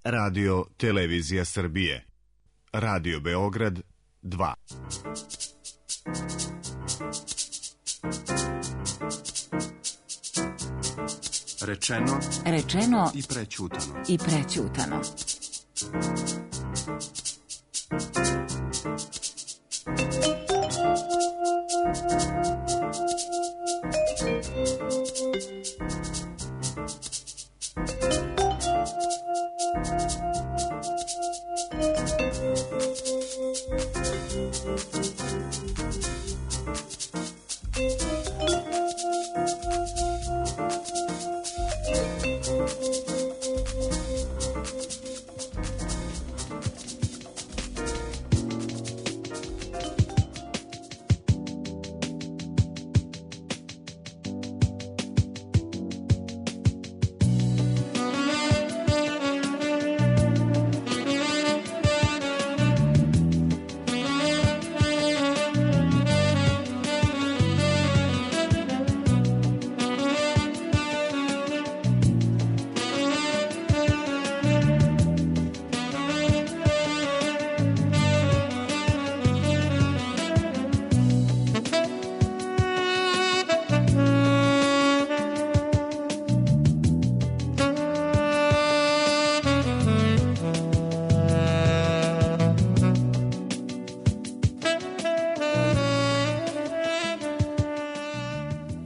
Radio Televizija Srbije. Radio Beograd 2. Rečeno i prećutano.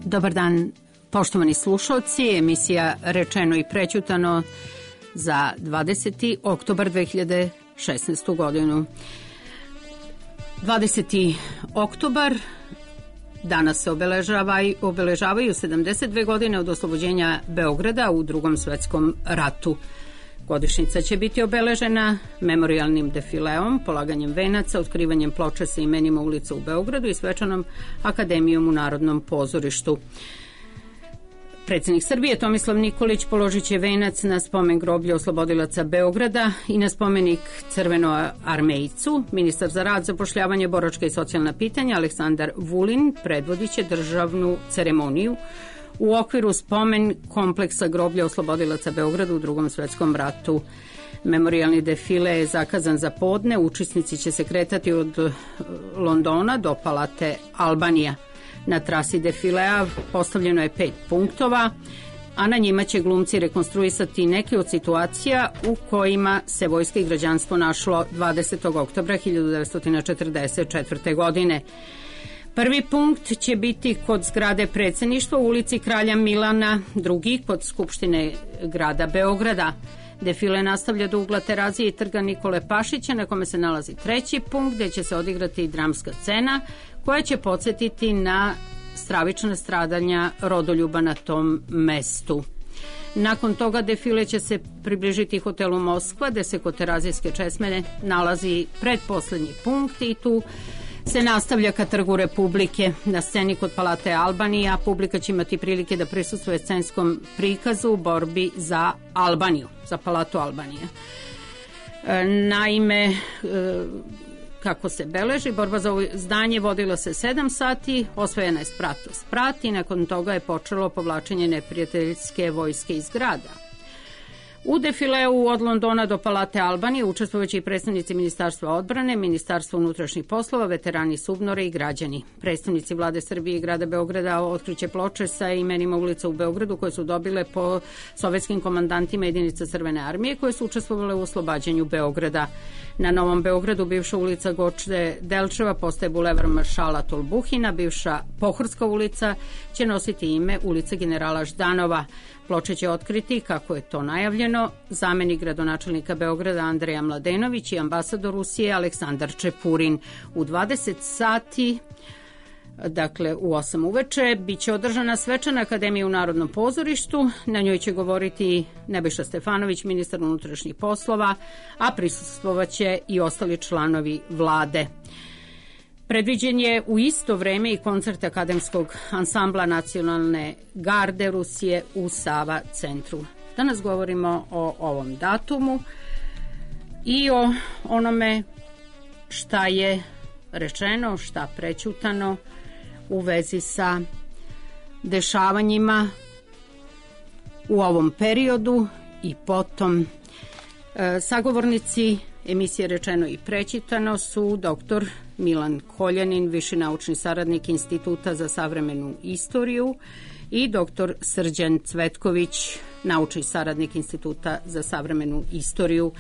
Dobar dan, poštovani slušalci, emisija Rečeno i prećutano za 20. oktobar 2016. godinu. 20. oktobar, danas se obeležavaju 72 godine od oslobođenja Beograda u Drugom svetskom ratu. Godišnjica će biti obeležena memorijalnim defileom, polaganjem venaca, otkrivanjem ploče sa imenima ulica u Beogradu i svečanom akademijom u Narodnom pozorištu. Predsjednik Srbije Tomislav Nikolić položit će venac na spomen groblja oslobodilaca Beograda i na spomenik Crvenoarmejcu. Ministar za rad, zapošljavanje, boračka i socijalna pitanja Aleksandar Vulin predvodit će državnu ceremoniju u okviru spomen kompleksa groblja oslobodilaca Beograda u Drugom svetskom ratu. Memorijalni defile je zakazan za podne. Učesnici će se kretati od Londona do Palate Albanija. Na trasi defilea postavljeno je 5 punktova, a na njima će glumci rekonstruisati neke od situacija u kojima se vojska i građanstvo našlo 20. oktobra 1944. godine. Prvi punkt će biti kod zgrade predsjedništva u ulici Kralja Milana, drugi kod Skupštine grada Beograda. Defile nastavlja do ugla Terazije i trga Nikole Pašića, na kome se nalazi treći punkt, gde će se odigrati dramska scena koja će podsjetiti na stravična stradanja rodoljuba na tom mestu. Nakon toga defile će se približiti hotelu Moskva, gde se kod Terazijske česme nalazi predposlednji punkt i tu se nastavlja ka Trgu Republike. Na sceni kod Palate Albanija publika će imati prilike da prisustvuje scenskom prikazu u borbi za Albaniju, za Palatu Albanija. Naime, kako se beleži, borba za ovo zdanje vodila se 7 sati, osvojena je sprat i nakon toga je počelo povlačenje neprijateljske vojske iz grada. U defileu od Londona do Palate Albanije učestvujući i predstavnici Ministarstva odbrane, Ministarstva unutrašnjih poslova, veterani SUBNOR-a i građani. Predstavnici vlade Srbije i grada Beograda otkriće ploče sa imenima ulica u Beogradu koje su dobile po sovjetskim komandantima jedinica Crvene armije koje su učestvovale u oslobađanju Beograda. Na Novom Beogradu bivša ulica Goče Delčeva postaje bulevar Maršala Tolbuhina, bivša Pohorska ulica će nositi ime ulica generala Ždanova. Ploče će otkriti, kako je to najavljeno, zamenik gradonačelnika Beograda Andreja Mladenović i ambasador Rusije Aleksandar Čepurin. U 20 sati, dakle u 8 uveče, biće održana svečana akademija u Narodnom pozorištu. Na njoj će govoriti Nebojša Stefanović, ministar unutrašnjih poslova, a prisustvovaće i ostali članovi vlade. Predviđen je u isto vreme i koncert akademskog ansambla Nacionalne garde Rusije u Sava centru. Danas govorimo o ovom datumu i o onome šta je rečeno, šta prećutano u vezi sa dešavanjima u ovom periodu i potom Sagovornici emisije Rečeno i prečitano su dr. Milan Koljanin, viši naučni saradnik Instituta za savremenu istoriju, i dr. Srđan Cvetković, naučni saradnik Instituta za savremenu istoriju.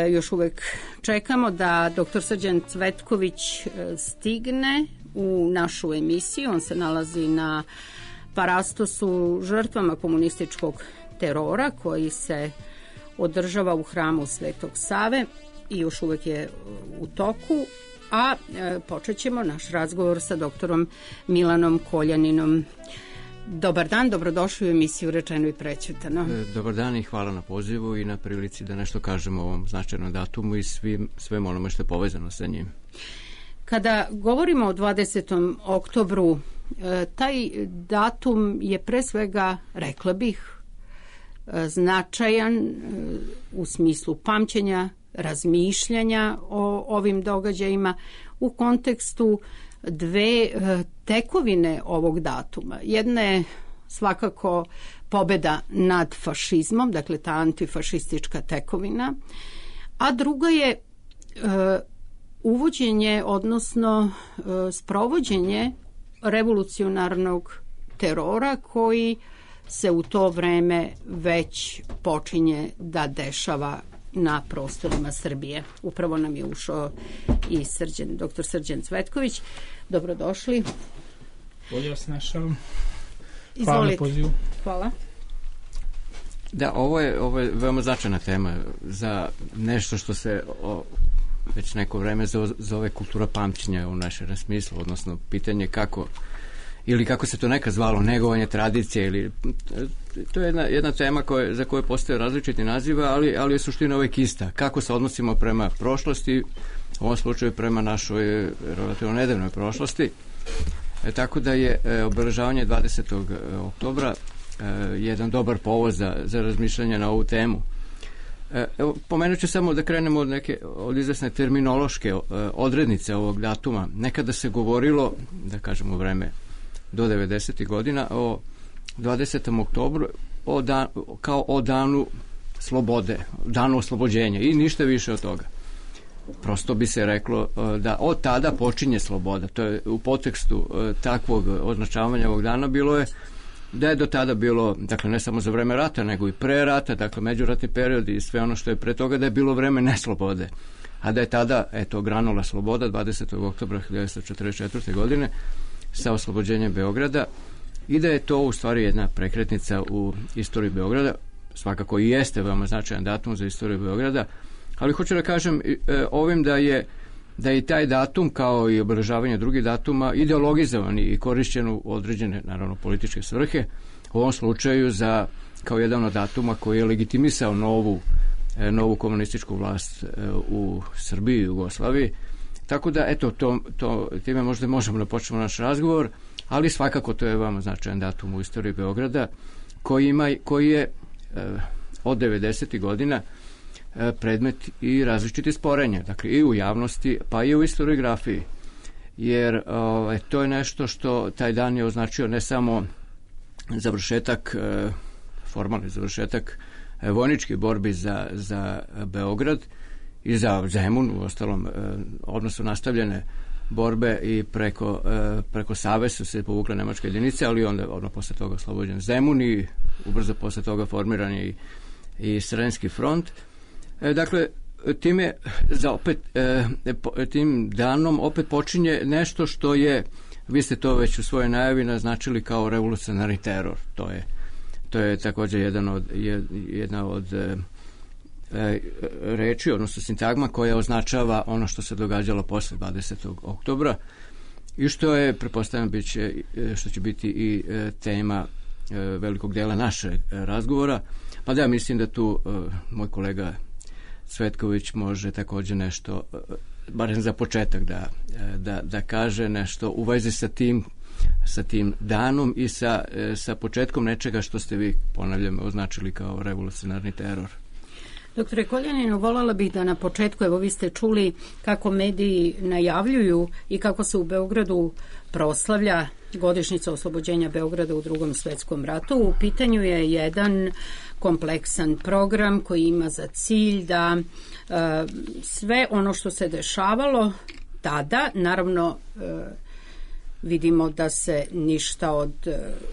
Još uvek čekamo da dr. Srđan Cvetković stigne u našu emisiju. On se nalazi na parastosu žrtvama komunističkog terora koji se održava u hramu Svetog Save i još uvek je u toku, a počet ćemo naš razgovor sa doktorom Milanom Koljaninom. Dobar dan, dobrodošli u emisiju Rečeno i prećutano. Dobar dan i hvala na pozivu i na prilici da nešto kažemo o ovom značajnom datumu i svem onome što je povezano sa njim. Kada govorimo o 20. oktobru, taj datum je pre svega, rekla bih, značajan u smislu pamćenja, razmišljanja o ovim događajima u kontekstu dve tekovine ovog datuma. Jedna je svakako pobeda nad fašizmom, dakle ta antifašistička tekovina, a druga je uvođenje, odnosno sprovođenje revolucionarnog terora koji se u to vreme već počinje da dešava na prostorima Srbije. Upravo nam je ušao i dr. Srđan Cvetković. Dobrodošli. Bolje vas našao. Hvala na pozivu. Hvala. Da, ovo je veoma značajna tema za nešto što se već neko vreme zove kultura pamćenja u našem smislu, odnosno pitanje kako se to nekad zvalo, negovanje tradicije, ili to je jedna tema za koju postoje različiti naziva, ali je suština uvijek ista. Kako se odnosimo prema prošlosti, u ovom slučaju prema našoj relativno nedavnoj prošlosti. Tako da je obeležavanje 20. oktobra jedan dobar povod za razmišljanje na ovu temu. Evo, pomenut ću samo da krenemo od izvesne terminološke odrednice ovog datuma. Nekada se govorilo, da kažemo u vreme do 90. godina, o 20. oktobru kao o danu slobode, danu oslobođenja i ništa više od toga. Prosto bi se reklo da od tada počinje sloboda. To je u podtekstu takvog označavanja ovog dana bilo je da je do tada bilo, dakle ne samo za vreme rata, nego i pre rata, dakle međuratni period i sve ono što je pre toga, da je bilo vreme neslobode. A da je tada, granula sloboda 20. oktobra 1944. godine sa oslobođenjem Beograda i da je to u stvari jedna prekretnica u istoriji Beograda, svakako i jeste veoma značajan datum za istoriju Beograda, ali hoću da kažem ovim da je taj datum kao i obeležavanje drugih datuma ideologizovan i korišćen u određene, naravno, političke svrhe, u ovom slučaju kao jedan od datuma koji je legitimisao novu komunističku vlast u Srbiji i Jugoslaviji. Tako da, time možda možemo da počnemo naš razgovor, ali svakako to je veoma značajan datum u istoriji Beograda, koji je od 90. godina predmet i različiti sporenja, dakle i u javnosti, pa i u historiografiji, jer to je nešto što taj dan je označio ne samo formalni završetak vojničkih borbi za Beograd i za Zemun, u ostalom odnosno nastavljene borbe i preko Save su se povukle nemačke jedinice, ali onda posle toga oslobođen Zemun i ubrzo posle toga formiran je i Sremski front. Dakle, tim danom opet počinje nešto što je, vi ste to već u svojoj najavi naznačili kao revolucionarni teror. To je također jedna od reči, odnosno sintagma koja označava ono što se događalo posle 20. oktobra i što je, pretpostavljam, što će biti i tema velikog dela našeg razgovora. Pa da, mislim da tu moj kolega Cvetković može također nešto, barem za početak, da kaže nešto u vezi sa tim danom i sa početkom nečega što ste vi, ponavljam, označili kao revolucionarni teror. Doktore Koljaninu, voljela bih da na početku, evo vi ste čuli kako mediji najavljuju i kako se u Beogradu proslavlja godišnjica oslobođenja Beograda u Drugom svetskom ratu. U pitanju je jedan kompleksan program koji ima za cilj da sve ono što se dešavalo tada, naravno vidimo da se ništa od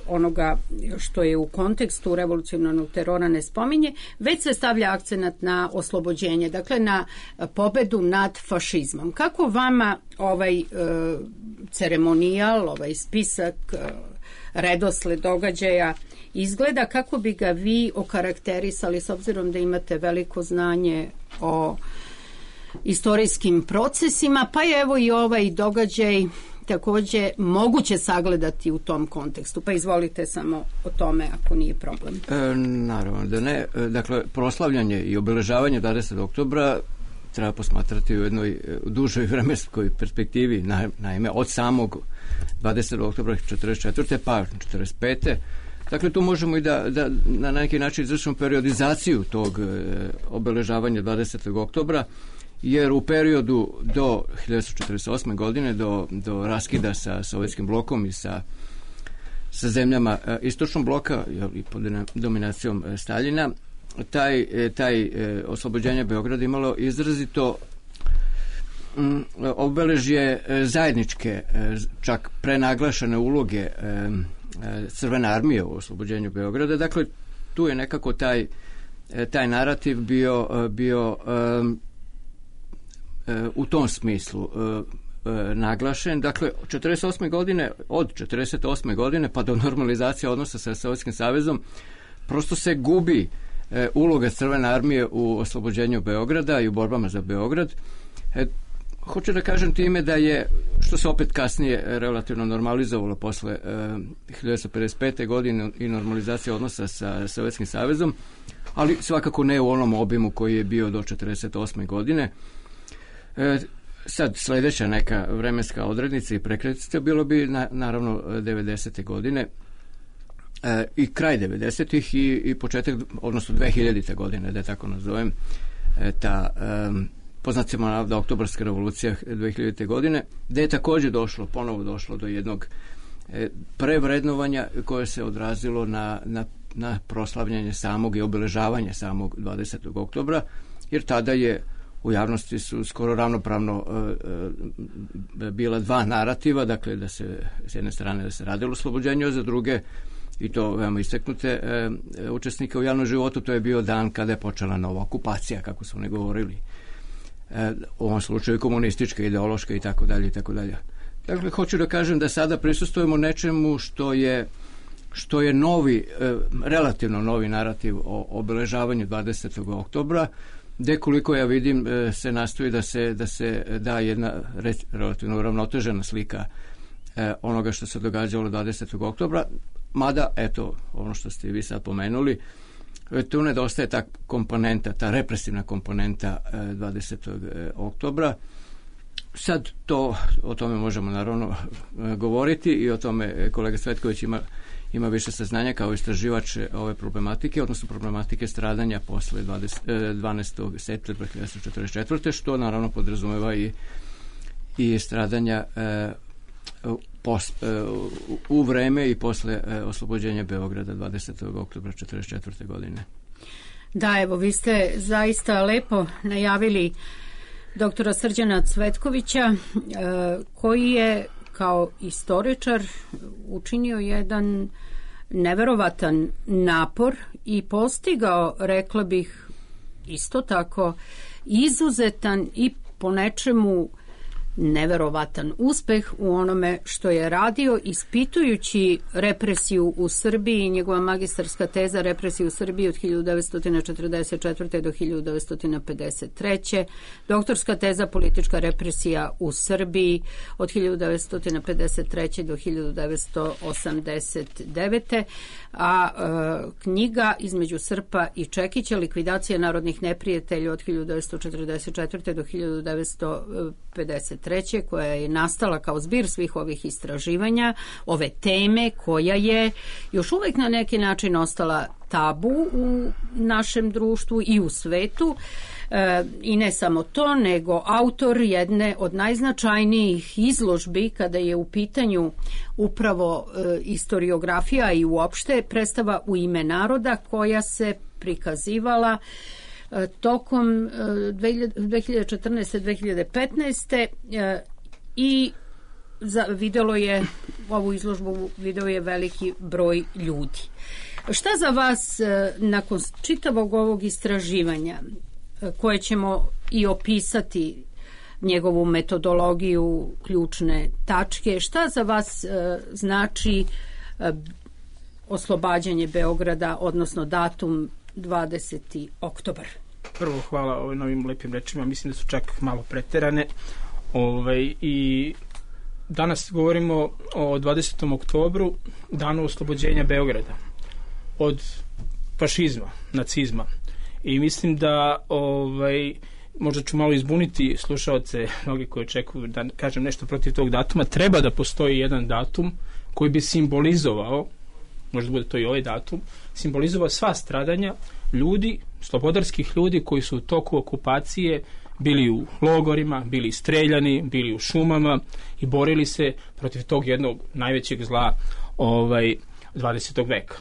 onoga što je u kontekstu revolucionarnog terora ne spominje, već se stavlja akcenat na oslobođenje, dakle na pobedu nad fašizmom. Kako vama ovaj ceremonijal, ovaj spisak, redosled događaja izgleda, kako bi ga vi okarakterisali s obzirom da imate veliko znanje o istorijskim procesima, pa je evo i ovaj događaj takođe moguće sagledati u tom kontekstu. Pa izvolite samo o tome ako nije problem. Naravno da ne. Dakle, proslavljanje i obeležavanje 20. oktobra treba posmatrati u jednoj dužoj vremenskoj perspektivi, naime od samog 20. oktobra 44. pa 45. Dakle, tu možemo i da na neki način izvršimo periodizaciju tog obeležavanja 20. oktobra, jer u periodu do 1948. godine, do raskida sa sovjetskim blokom i sa zemljama istočnog bloka i pod dominacijom Staljina, taj oslobođenje Beograda imalo izrazito obeležje zajedničke, čak prenaglašene uloge Crvene armije u oslobođenju Beograda. Dakle, tu je nekako taj narativ bio u tom smislu naglašen. Dakle, od 48. godine pa do normalizacije odnosa sa Sovjetskim savezom prosto se gubi uloga Crvene armije u oslobođenju Beograda i u borbama za Beograd. Hoću da kažem time da je, što se opet kasnije relativno normalizovalo posle 1955. godine i normalizacija odnosa sa Sovjetskim savezom, ali svakako ne u onom obimu koji je bio do 1948. godine. Sad sledeća neka vremenska odrednica i prekretnica bilo bi naravno 90. godine i kraj 90-ih i početak, odnosno 2000. godine, da je tako nazovem, ta poznatimo navda oktobarska revolucija 2000. godine, gde je takođe ponovo došlo do jednog prevrednovanja koje se odrazilo na proslavljanje samog i obeležavanje samog 20. oktobra, jer tada je u javnosti su skoro ravnopravno bila dva narativa, dakle da se s jedne strane da se radilo oslobođenje, a za druge, i to veoma istaknute učesnike u javnom životu, to je bio dan kada je počela nova okupacija, kako su oni govorili. U ovom slučaju komunistička, ideološka i tako dalje i tako dalje. Dakle, hoću da kažem da sada prisustujemo nečemu što je novi, relativno novi narativ o obeležavanju 20. oktobra, gde koliko ja vidim se nastoji da se da jedna relativno uravnotežena slika onoga što se događalo 20. oktobra, mada, eto, ono što ste vi sad pomenuli, tu nedostaje ta komponenta, ta represivna komponenta 20. oktobra. Sad o tome možemo naravno govoriti i o tome kolega Cvetković ima više saznanja kao istraživač ove problematike, odnosno problematike stradanja posle 12. septembra 1944. što naravno podrazumeva i stradanja u vreme i posle oslobođenja Beograda 20. oktobra 1944. godine. Da, evo, vi ste zaista lepo najavili doktora Srđana Cvetkovića, koji je kao istoričar učinio jedan neverovatan napor i postigao, rekla bih, isto tako izuzetan i po nečemu neverovatan uspeh u onome što je radio, ispitujući represiju u Srbiji. Njegova magistarska teza represiju u Srbiji od 1944. do 1953. Doktorska teza politička represija u Srbiji od 1953. do 1989. A knjiga Između Srpa i Čekića, likvidacija narodnih neprijatelja od 1944. do 1953. 1993. koja je nastala kao zbir svih ovih istraživanja, ove teme koja je još uvijek na neki način ostala tabu u našem društvu i u svetu. I ne samo to, nego autor jedne od najznačajnijih izložbi kada je u pitanju upravo historiografija i uopšte predstava U ime naroda, koja se prikazivala tokom 2014-2015. I vidjelo je ovu izložbu, video je veliki broj ljudi. Šta za vas nakon čitavog ovog istraživanja, koje ćemo i opisati njegovu metodologiju, ključne tačke, šta za vas znači oslobađanje Beograda, odnosno datum 20. oktobar? Prvo hvala na ovim lepim rečima, mislim da su čak malo preterane. I danas govorimo o 20. oktobru, danu oslobođenja Beograda od fašizma, nacizma. I mislim da možda ću malo izbuniti slušaoce, mnogi koji očekuju da kažem nešto protiv tog datuma. Treba da postoji jedan datum koji bi simbolizovao, možda bude to i ovaj datum, simbolizovao sva stradanja ljudi, slobodarskih ljudi koji su u toku okupacije bili u logorima, bili streljani, bili u šumama i borili se protiv tog jednog najvećeg zla 20. veka.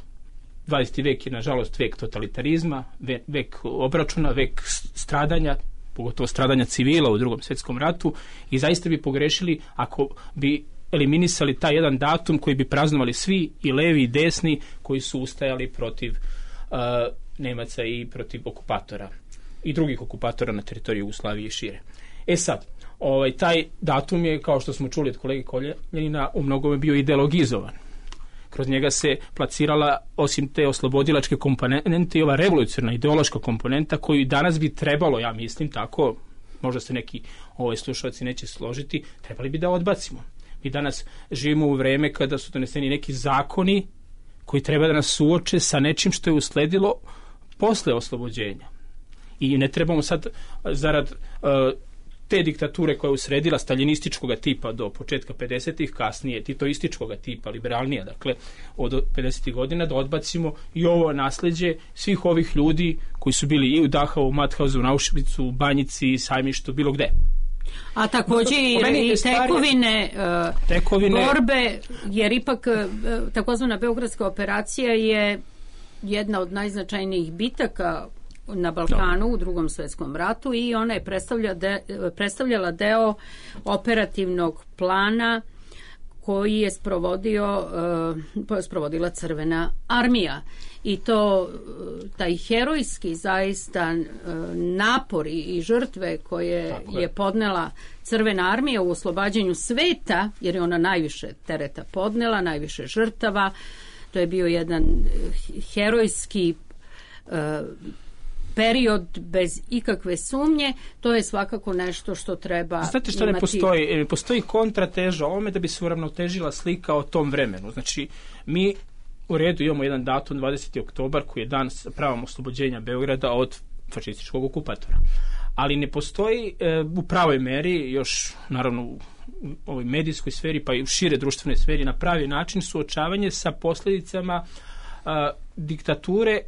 20. vek je, nažalost, vek totalitarizma, vek obračuna, vek stradanja, pogotovo stradanja civila u Drugom svjetskom ratu, i zaista bi pogrešili ako bi eliminisali taj jedan datum koji bi praznovali svi, i levi i desni, koji su ustajali protiv Nemaca i protiv okupatora i drugih okupatora na teritoriji Jugoslavije i šire. Sad, taj datum je, kao što smo čuli od kolege Koljanina, u mnogome bio ideologizovan. Kroz njega se placirala, osim te oslobodilačke komponente, i ova revolucionarna ideološka komponenta koju danas bi trebalo, ja mislim tako, možda se neki slušalci neće složiti, trebali bi da odbacimo. Mi danas živimo u vreme kada su doneseni neki zakoni koji treba da nas suoče sa nečim što je usledilo posle oslobođenja. I ne trebamo sad, zarad te diktature koja je usredila staljinističkog tipa do početka 50-ih, kasnije titoističkog tipa, liberalnija, dakle od 50-ih godina, da odbacimo i ovo nasleđe svih ovih ljudi koji su bili i u Dachau, u Mauthausu, u Auschwitzu, u Banjici, Sajmištu, bilo gde. A također i tekovine borbe, jer ipak takozvana Beogradska operacija je jedna od najznačajnijih bitaka na Balkanu u Drugom svjetskom ratu, i ona je predstavljala deo operativnog plana koji je sprovodila Crvena armija. I to taj herojski zaista napor i žrtve koje je podnela Crvena armija u oslobađanju sveta, jer je ona najviše tereta podnela, najviše žrtava. To je bio jedan herojski period bez ikakve sumnje. To je svakako nešto što treba imati. Znate što ne postoji kontrateža ovome da bi se uravnotežila slika o tom vremenu. Znači, mi u redu imamo jedan datum 20. oktobar koji je dan pravom oslobođenja Beograda od fašističkog okupatora. Ali ne postoji u pravoj meri, još naravno u ovoj medijskoj sferi pa i u šire društvenoj sferi, na pravi način suočavanje sa posljedicama diktature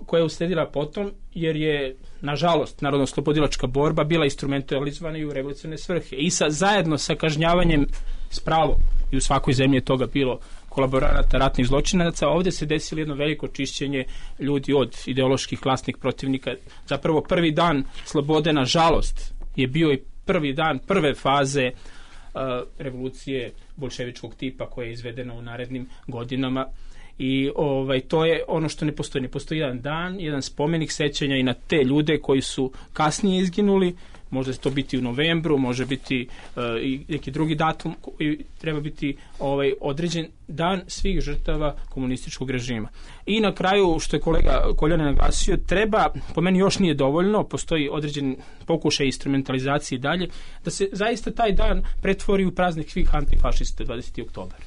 koja je usledila potom, jer je, nažalost, narodno-oslobodilačka borba bila instrumentalizovana i u revolucionarne svrhe. I zajedno sa kažnjavanjem s pravom, i u svakoj zemlji je toga bilo, kolaboranata, ratnih zločinaca, ovdje se desilo jedno veliko čišćenje ljudi od ideoloških klasnih protivnika. Zapravo prvi dan slobode, nažalost, je bio i prvi dan prve faze revolucije bolševičkog tipa koja je izvedena u narednim godinama. I to je ono što ne postoji. Ne postoji jedan dan, jedan spomenik sećanja i na te ljude koji su kasnije izginuli. Može to biti u novembru, može biti i neki drugi datum koji treba biti određen dan svih žrtava komunističkog režima. I na kraju, što je kolega Koljanin naglasio, treba, po meni još nije dovoljno, postoji određen pokušaj instrumentalizacije i dalje, da se zaista taj dan pretvori u praznik svih antifašista 20. oktobar.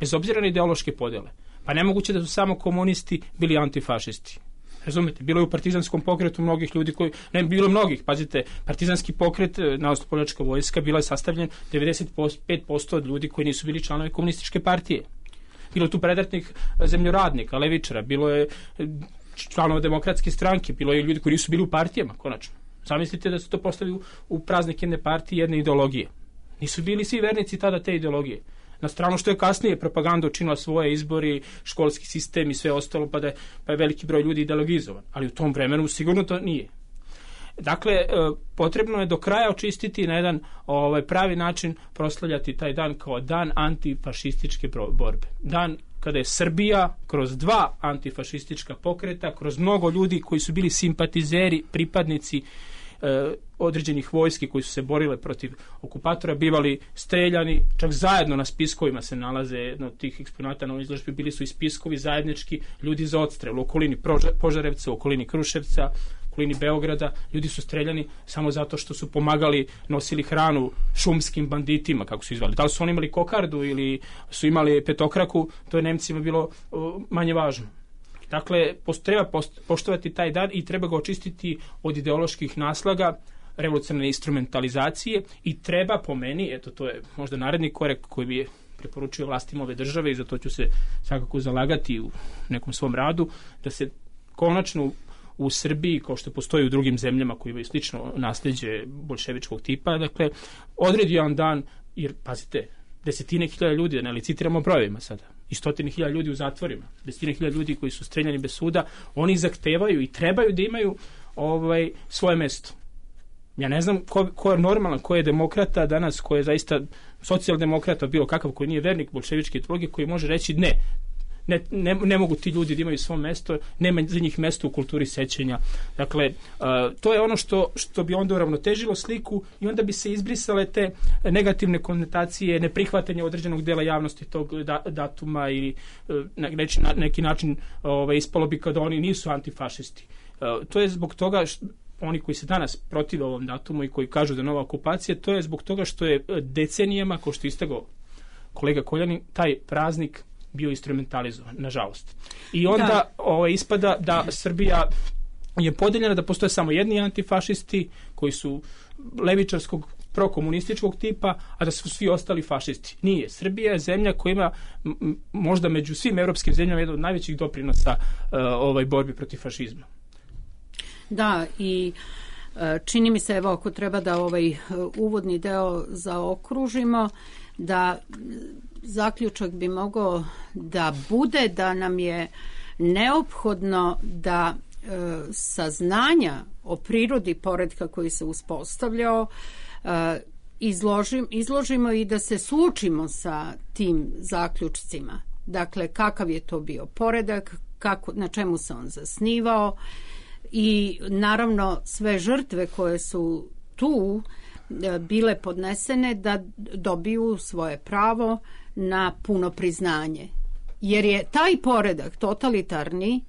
Bez obzira na ideološke podjele. Pa nemoguće da su samo komunisti bili antifašisti. Razumete, bilo je u partizanskom pokretu mnogih ljudi koji, ne bilo mnogih, pazite, partizanski pokret, narodnooslobodilačka vojska, bila je sastavljen 95% od ljudi koji nisu bili članovi komunističke partije. Bilo je tu predratnih zemljoradnika, levičara, bilo je članova demokratske stranke, bilo je ljudi koji nisu bili u partijama, konačno. Zamislite da su to postavili u praznik jedne partije, jedne ideologije. Nisu bili svi vernici tada te ideologije. Na stranu što je kasnije propaganda učinila svoje, izbori, školski sistem i sve ostalo, pa je veliki broj ljudi ideologizovan. Ali u tom vremenu sigurno to nije. Dakle, potrebno je do kraja očistiti na jedan pravi način, proslavljati taj dan kao dan antifašističke borbe. Dan kada je Srbija kroz dva antifašistička pokreta, kroz mnogo ljudi koji su bili simpatizeri, pripadnici određenih vojski koji su se borile protiv okupatora, bivali streljani, čak zajedno na spiskovima se nalaze, jedno od tih eksponata na izložbi, bili su i spiskovi zajednički ljudi za odstrel u okolini Požarevca, u okolini Kruševca, u okolini Beograda. Ljudi su streljani samo zato što su pomagali, nosili hranu šumskim banditima, kako su izvali. Da li su oni imali kokardu ili su imali petokraku, to je Nemcima bilo manje važno. Dakle, treba poštovati taj dan i treba ga očistiti od ideoloških naslaga, revolucionarne instrumentalizacije i treba, po meni, eto to je možda naredni korak koji bi preporučio vlastima ove države i za to ću se svakako zalagati u nekom svom radu, da se konačno u Srbiji, kao što postoji u drugim zemljama koji imaju slično nasljeđe boljševičkog tipa, dakle, odredi jedan dan, jer, pazite, 10.000 ljudi, da ne licitiramo brojevima sada, i 100.000 ljudi u zatvorima, 10.000 ljudi koji su streljani bez suda, oni zahtevaju i trebaju da imaju svoje mesto. Ja ne znam ko je normalan, ko je demokrata danas, ko je zaista socijaldemokrata, bilo kakav, koji nije vernik bolševičke ideologije, koji može reći ne mogu ti ljudi da imaju svoje mesto, nema za njih mesto u kulturi sećanja. Dakle, to je ono što bi onda uravnotežilo sliku i onda bi se izbrisale te negativne konotacije, neprihvatanje određenog dela javnosti tog datuma ili na neki način ispalo bi kada oni nisu antifašisti. To je zbog toga oni koji se danas protive ovom datumu i koji kažu da je nova okupacija, to je zbog toga što je decenijama, kao što je istakao kolega Koljanin, taj praznik bio instrumentalizovan, nažalost. I onda ispada da Srbija je podeljena, da postoje samo jedni antifašisti koji su levičarskog, prokomunističkog tipa, a da su svi ostali fašisti. Nije. Srbija je zemlja koja ima možda među svim europskim zemljama jedan od najvećih doprinosa borbi protiv fašizma. Da, i čini mi se, evo, ako treba da uvodni deo zaokružimo, da zaključak bi mogao da bude da nam je neophodno da saznanja o prirodi poretka koji se uspostavljao izložimo i da se suočimo sa tim zaključcima. Dakle, kakav je to bio poredak, na čemu se on zasnivao i naravno sve žrtve koje su tu bile podnesene da dobiju svoje pravo na puno priznanje. Jer je taj poredak totalitarni,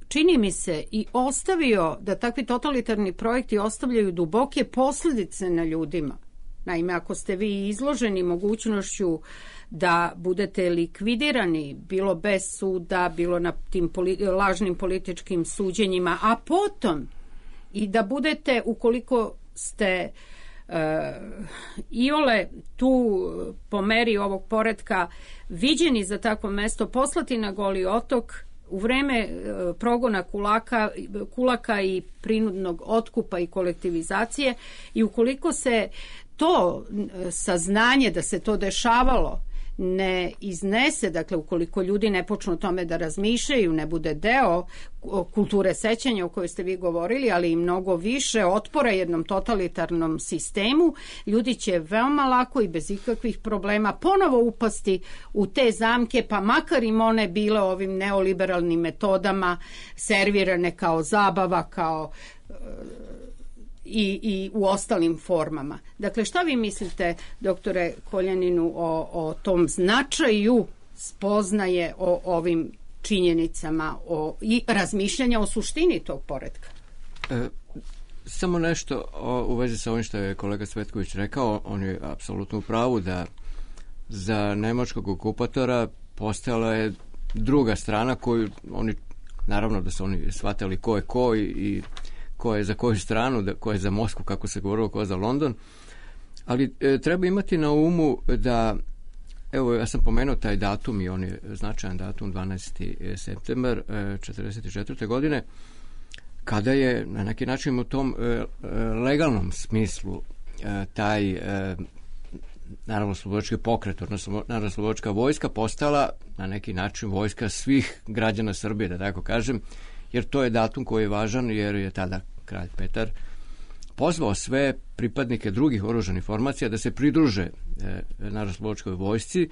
čini mi se, i ostavio da takvi totalitarni projekti ostavljaju duboke posljedice na ljudima. Naime, ako ste vi izloženi mogućnošću da budete likvidirani, bilo bez suda, bilo na tim lažnim političkim suđenjima, a potom i da budete, ukoliko ste iole tu po meri ovog poretka viđeni za takvo mesto, poslati na Goli otok u vreme progona kulaka i prinudnog otkupa i kolektivizacije, i ukoliko se to saznanje da se to dešavalo ne iznese, dakle ukoliko ljudi ne počnu o tome da razmišljaju, ne bude deo kulture sećanja o kojoj ste vi govorili, ali i mnogo više otpora jednom totalitarnom sistemu, ljudi će veoma lako i bez ikakvih problema ponovo upasti u te zamke, pa makar im one bile ovim neoliberalnim metodama servirane kao zabava, kao i u ostalim formama. Dakle, šta vi mislite, doktore Koljaninu, o tom značaju spoznaje o ovim činjenicama i razmišljanja o suštini tog poretka? Samo nešto u vezi sa ovim što je kolega Cvetković rekao. On je apsolutno u pravu da za nemačkog okupatora postojala je druga strana koju oni naravno da su oni shvatali ko je ko i ko je za koju stranu, ko je za Moskvu, kako se govorilo, ko je za London. Ali treba imati na umu da, evo, ja sam pomenuo taj datum i on je značajan datum, 12. septembar 1944. godine, kada je na neki način u tom legalnom smislu taj narodno-slobodački pokret, odnosno narodno-slobodačka vojska postala na neki način vojska svih građana Srbije, da tako kažem, jer to je datum koji je važan, jer je tada kralj Petar pozvao sve pripadnike drugih oružanih formacija da se pridruže narodno-slobodačkoj vojsci.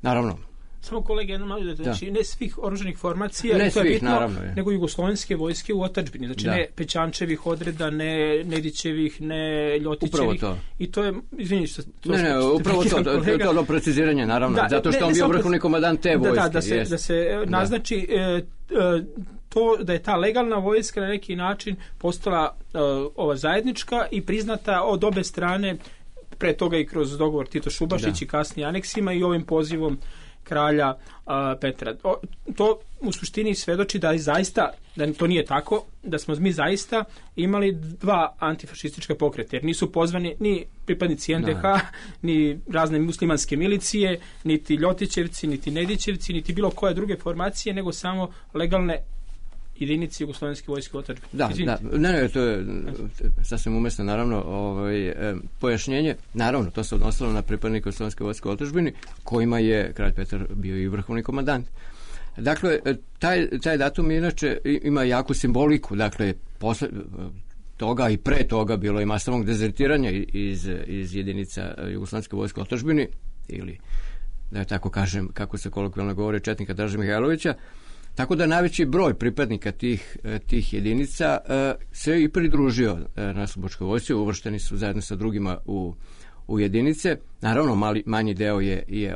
Naravno, samo kolege, jedno malo da, znači ne svih oružanih formacija, ne to je svih, bitno, naravno, nego jugoslovenske vojske u otadžbini, znači ne Pećančevih odreda, ne Nedićevih, ne Ljotićevih. To. I to je, izvini što... Ne, upravo to preciziranje, naravno, zato što on bio vrhovni komandant te vojske. Da se naznači to da je ta legalna vojska na neki način postala ova zajednička i priznata od obe strane, pre toga i kroz dogovor Tito Šubašić i kasnije aneksima i ovim pozivom kralja Petra. To u suštini svedoči da je zaista, da to nije tako, da smo mi zaista imali dva antifašistička pokreta, jer nisu pozvani ni pripadnici NDH, ni razne muslimanske milicije, niti Ljotićevci, niti Nedićevci, niti bilo koje druge formacije, nego samo legalne jedinici jugoslovenske vojske u otadžbini. Ne, to je sasvim umesno, naravno, pojašnjenje. Naravno, to se odnosilo na pripadnike jugoslovenske vojske u otadžbini, kojima je kralj Petar bio i vrhovni komandant. Dakle, taj datum inače ima jaku simboliku. Dakle, posle toga i pre toga bilo je masovnog dezertiranja iz jedinica jugoslovenske vojske u otadžbini, ili, da tako kažem, kako se kolokvijalno govori, četnika Draže Mihajlovića. Tako da najveći broj pripadnika tih jedinica se i pridružio narodnooslobodilačkoj vojsci, uvršteni su zajedno sa drugima u jedinice. Naravno, manji deo je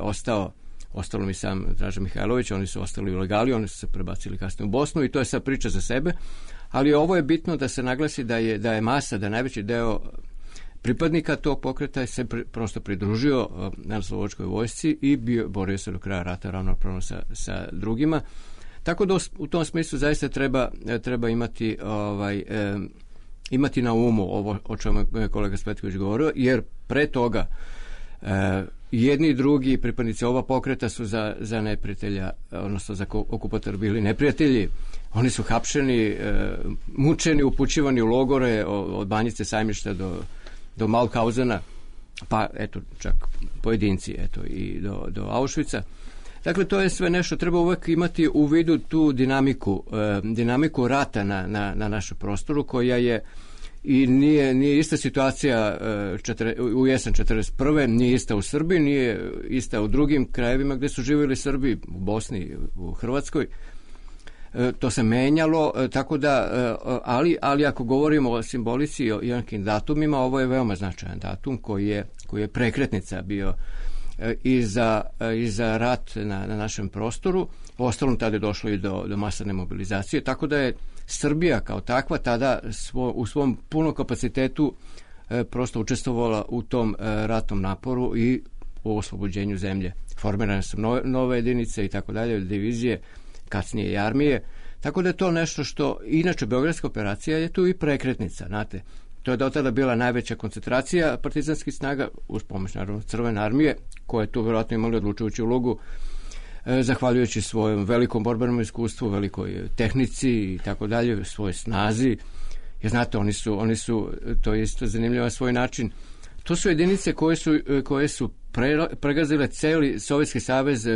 ostalo mi sam Draža Mihajlović, oni su ostali u legali, oni su se prebacili kasnije u Bosnu i to je sad priča za sebe, ali ovo je bitno da se naglasi da je masa, da najveći deo pripadnika tog pokreta se prosto pridružio narodnooslobodilačkoj vojsci i borio se do kraja rata ravnopravno sa drugima. Tako da u tom smislu zaista treba imati na umu ovo o čemu je kolega Spetković govorio, jer pre toga jedni i drugi pripadnici ova pokreta su za neprijatelja, odnosno za okupatora bili neprijatelji. Oni su hapšeni, mučeni, upućivani u logore od Banjice, Sajmišta do Mauthausena, pa eto čak pojedinci i do Auschwitza. Dakle, to je sve nešto, treba uvek imati u vidu tu dinamiku rata na našem prostoru, koja je i nije ista situacija u jesen 1941. Nije ista u Srbiji, nije ista u drugim krajevima gde su živjeli Srbi, u Bosni, u Hrvatskoj. To se menjalo, tako da, ali ako govorimo o simbolici i o nekim datumima, ovo je veoma značajan datum koji je prekretnica bio i za rat na našem prostoru. U ostalom tada je došlo i do masovne mobilizacije, tako da je Srbija kao takva tada u svom punom kapacitetu prosto učestvovala u tom ratnom naporu i u oslobođenju zemlje. Formirane su nove jedinice i tako dalje, divizije, kasnije i armije, tako da je to nešto što, inače Beogradska operacija je tu i prekretnica, znate. To je do tada bila najveća koncentracija partizanskih snaga, uz pomoć naravno Crvene armije, koja je tu vjerojatno imali odlučujuću ulogu, zahvaljujući svojom velikom borbenom iskustvu, velikoj tehnici i tako dalje, svojoj snazi. Jer znate, oni su, to je isto zanimljivo na svoj način, to su jedinice koje su pregazile celi Sovjetski savez,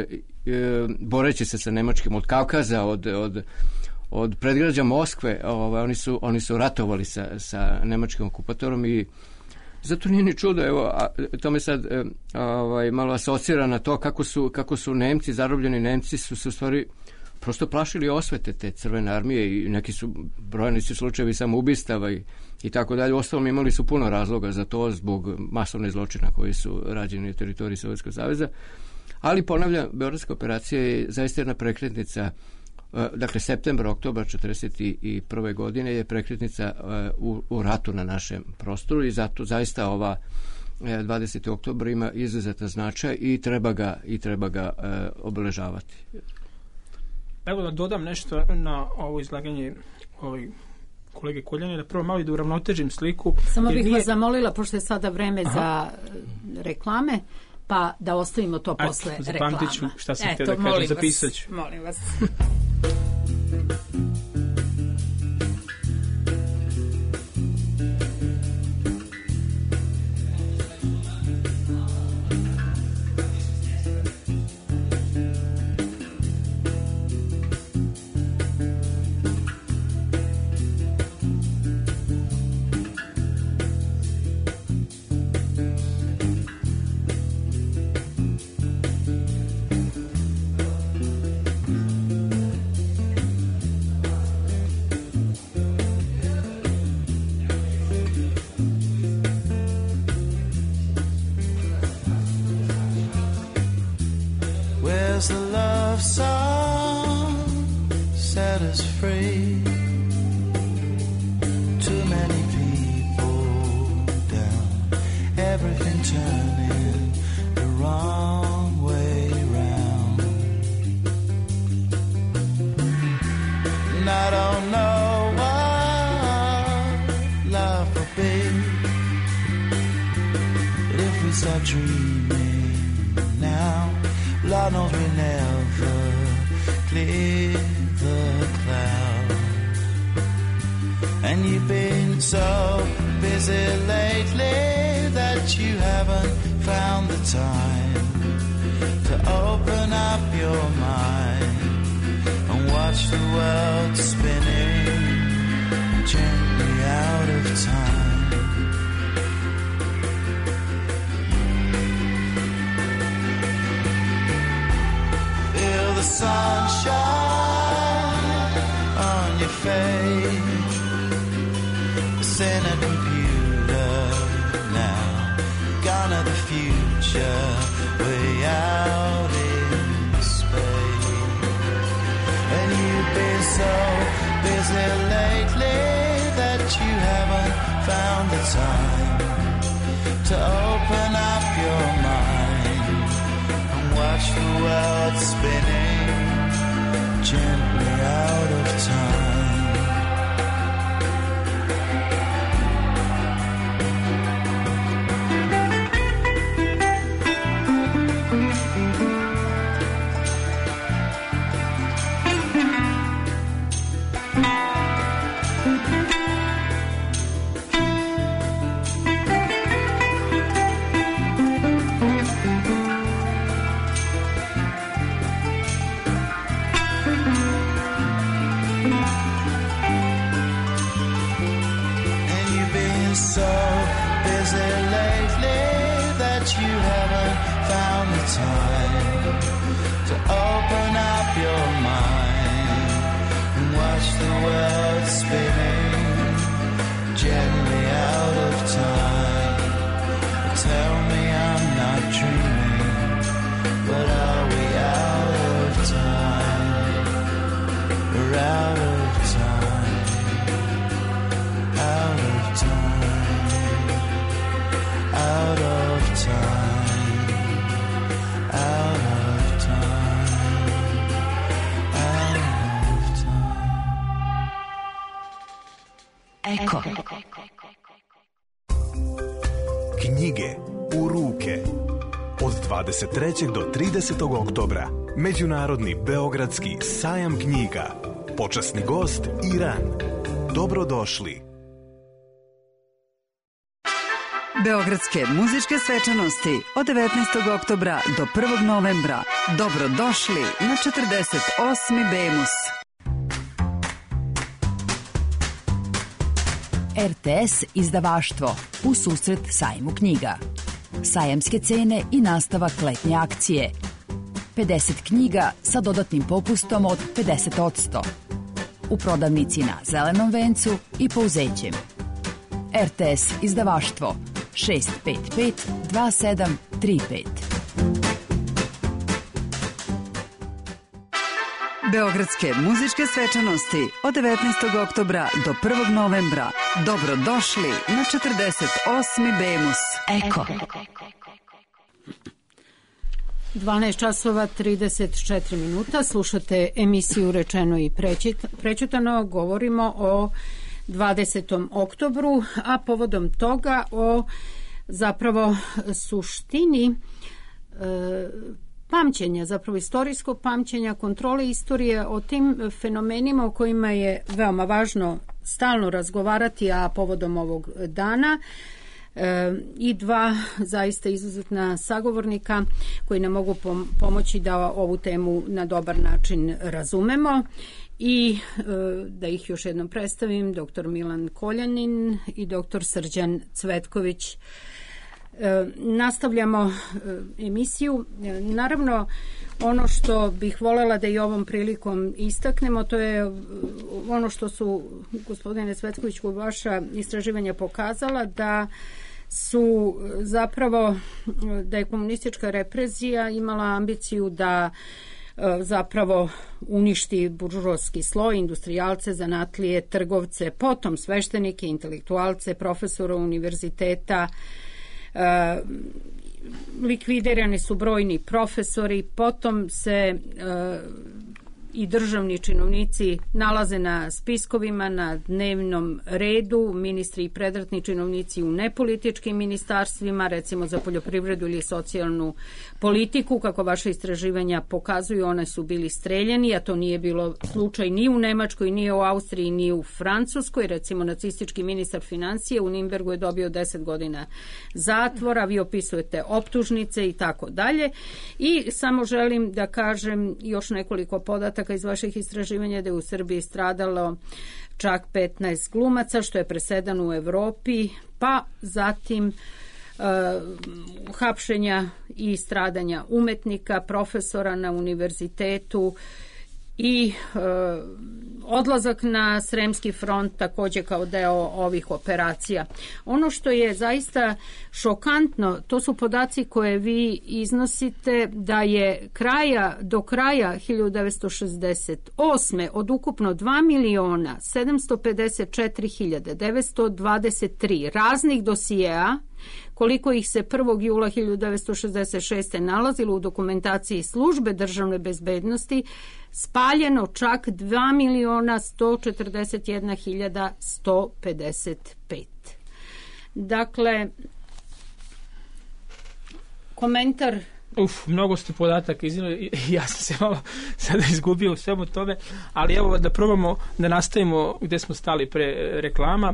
boreći se sa Nemačkim od Kavkaza, od predgrađa Moskve. Oni su ratovali sa nemačkim okupatorom i zato nije ni čudo, evo, to me sad malo asocira na to kako su Nemci, zarobljeni Nemci su se u stvari prosto plašili osvete te Crvene armije i neki su brojni slučajevi samoubistava i tako dalje. Uostalom imali su puno razloga za to zbog masovne zločina koji su rađeni na teritoriji Sovjetskog saveza. Ali ponavljam, Beogradska operacija je zaista jedna prekretnica. Dakle, septembar, oktobar 1941. godine je prekretnica u ratu na našem prostoru i zato zaista ova 20. oktobar ima izuzetan značaj i treba ga obeležavati. Evo da dodam nešto na ovo izlaganje kolege Koljanina, prvo malo i da uravnotežim sliku. Samo bih vas zamolila, pošto je sada vreme za reklame, pa da ostavimo to posle reklama. Zapamtit ću šta sam htio da kažem, zapisat ću. Molim vas. The love song set us free. Too many people down, everything turning the wrong way round. And I don't know what love will be, but if we start dreaming now, Lord knows we never clear the cloud. And you've been so busy lately that you haven't found the time to open up your mind and watch the world spinning gently out of time. The sunshine on your face, it's in a computer now, gone to the future, way out in space. And you've been so busy lately that you haven't found the time to open up your mind and watch the world spinning gently out of time. Eko. Knjige u ruke. Od 23. do 30. oktobra Međunarodni beogradski sajam knjiga. Počasni gost Iran. Dobrodošli. Beogradske muzičke svečanosti od 19. oktobra do 1. novembra. Dobrodošli na 48. Bemus. RTS izdavaštvo u susret sajmu knjiga. Sajamske cene i nastavak letnje akcije. 50 knjiga sa dodatnim popustom od 50%. U prodavnici na Zelenom vencu i Pouzećem. RTS izdavaštvo 655 2735. Beogradske muzičke svečanosti od 19. oktobra do 1. novembra. Dobrodošli na 48. Bemus. Eko. 12 časova 34 minuta. Slušate emisiju Rečeno i prećutano. Govorimo o 20. oktobru, a povodom toga o zapravo suštini pamćenja, zapravo istorijskog pamćenja, kontrole istorije, o tim fenomenima o kojima je veoma važno stalno razgovarati, a povodom ovog dana i dva zaista izuzetna sagovornika koji nam mogu pomoći da ovu temu na dobar način razumemo i da ih još jednom predstavim, dr. Milan Koljanin i dr. Srđan Cvetković. Nastavljamo emisiju. Naravno, ono što bih voljela da i ovom prilikom istaknemo, to je ono što su, gospodine Cvetkoviću, vaša istraživanja pokazala, da su zapravo, da je komunistička represija imala ambiciju da zapravo uništi buržoski sloj, industrijalce, zanatlije, trgovce, potom sveštenike, intelektualce, profesora univerziteta, likvidirani su brojni profesori, potom se i državni činovnici nalaze na spiskovima, na dnevnom redu, ministri i predratni činovnici u nepolitičkim ministarstvima, recimo za poljoprivredu ili socijalnu politiku, kako vaše istraživanja pokazuju, one su bili streljeni, a to nije bilo slučaj ni u Nemačkoj, ni u Austriji, ni u Francuskoj. Recimo, nacistički ministar financije u Nimbergu je dobio 10 godina zatvora, vi opisujete optužnice i tako dalje. I samo želim da kažem još nekoliko podataka iz vaših istraživanja, da je u Srbiji stradalo čak 15 glumaca, što je presedan u Evropi, pa zatim hapšenja i stradanja umetnika, profesora na univerzitetu i odlazak na Sremski front također kao deo ovih operacija. Ono što je zaista šokantno, to su podaci koje vi iznosite, da je do kraja 1968. od ukupno 2.754.923 raznih dosijeja, koliko ih se 1. jula 1966. nalazilo u dokumentaciji službe državne bezbednosti, spaljeno čak 2.141.155. Dakle, komentar. Mnogo ste podataka iznijeli, ja sam se malo sada izgubio u svemu tome, ali evo da probamo da nastavimo gde smo stali pre reklama.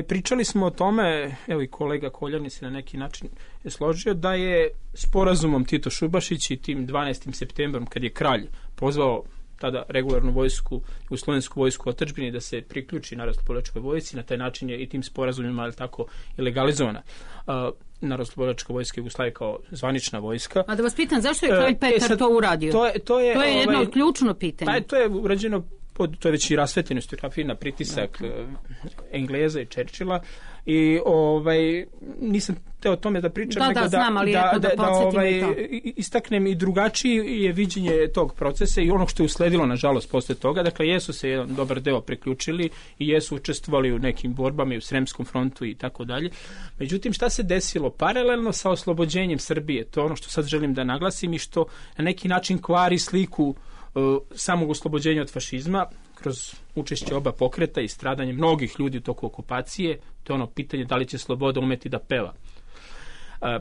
Pričali smo o tome, evo i kolega Koljanin se na neki način je složio, da je sporazumom Tito Šubašić i tim 12. septembrom, kad je kralj pozvao tada regularnu vojsku, jugoslovensku vojsku otadžbini da se priključi Narodnooslobodilačkoj vojsci, na taj način je i tim sporazumima, ali tako, i legalizovana Narodnooslobodilačka vojska Jugoslavije kao zvanična vojska. A da vas pitam, zašto je kralj Petar to uradio? To je jedno od ključno pitanja. Pa to je urađeno, to je već i rasvetljeno historiografiji na pritisak Engleza i Churchilla, i nisam teo o tome da pričam, nego da istaknem i drugačiji je viđenje tog procesa i onog što je usledilo, nažalost, posle toga. Dakle, jesu se jedan dobar deo priključili i jesu učestvovali u nekim borbama i u Sremskom frontu i tako dalje. Međutim, šta se desilo paralelno sa oslobođenjem Srbije? To je ono što sad želim da naglasim i što na neki način kvari sliku samog oslobođenja od fašizma kroz učešće oba pokreta i stradanje mnogih ljudi u toku okupacije. To je ono pitanje da li će sloboda umeti da peva.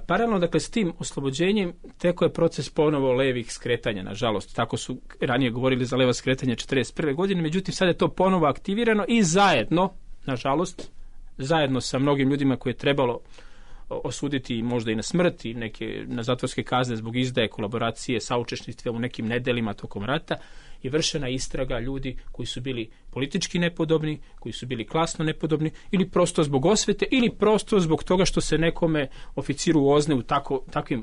Paralelno, dakle, s tim oslobođenjem teko je proces ponovo levih skretanja, nažalost. Tako su ranije govorili za leva skretanja 1941. godine, međutim sad je to ponovo aktivirano i zajedno, nažalost, zajedno sa mnogim ljudima koje je trebalo osuditi možda i na smrt i neke na zatvorske kazne zbog izdaje, kolaboracije, saučesništva u nekim nedelima tokom rata, je vršena istraga ljudi koji su bili politički nepodobni, koji su bili klasno nepodobni, ili prosto zbog osvete, ili prosto zbog toga što se nekome oficiru u OZNE u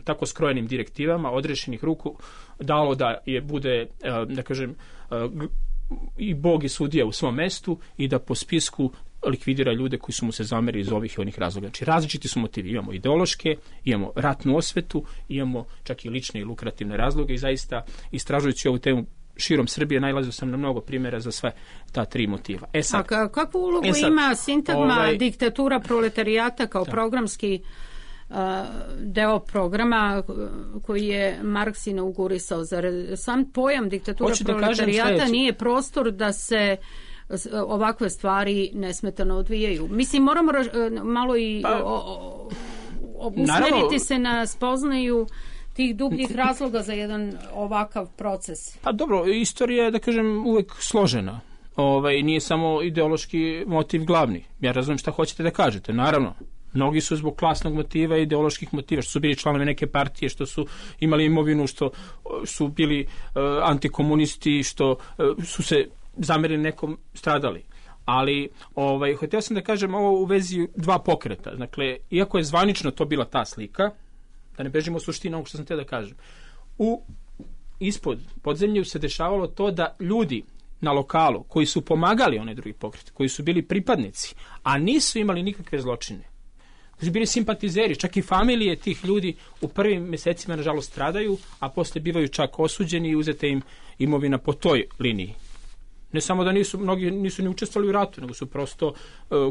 tako skrojenim direktivama odrešenih ruku dalo da je bude, da kažem, i Bog i sudija u svom mestu i da po spisku likvidira ljude koji su mu se zamerili iz ovih i onih razloga. Znači, različiti su motivi. Imamo ideološke, imamo ratnu osvetu, imamo čak i lične i lukrativne razloge i zaista, istražujući ovu temu širom Srbije, nailazio sam na mnogo primjera za sve ta tri motiva. A kakvu ulogu ima sintagma diktatura proletarijata kao programski deo programa koji je Marks inaugurisao. Zar sam pojam diktatura proletarijata nije prostor da se ovakve stvari nesmetano odvijaju? Mislim, moramo malo i usmeriti se na spoznaju tih dubljih razloga za jedan ovakav proces. Pa dobro, istorija je, da kažem, uvek složena. Nije samo ideološki motiv glavni. Ja razumijem šta hoćete da kažete, naravno. Mnogi su zbog klasnog motiva i ideoloških motiva, što su bili članovi neke partije, što su imali imovinu, što su bili antikomunisti, što su se zamerili nekom, stradali. Ali htio sam da kažem ovo u vezi dva pokreta. Dakle, iako je zvanično to bila ta slika, da ne bežimo suštinu ovog što sam htio da kažem, ispod podzemlju se dešavalo to da ljudi na lokalu koji su pomagali onaj drugi pokret, koji su bili pripadnici, a nisu imali nikakve zločine, koji su bili simpatizeri, čak i familije tih ljudi u prvim mesecima nažalost stradaju, a posle bivaju čak osuđeni i uzete im imovina po toj liniji. Ne samo da mnogi nisu ni učestvovali u ratu, nego su prosto,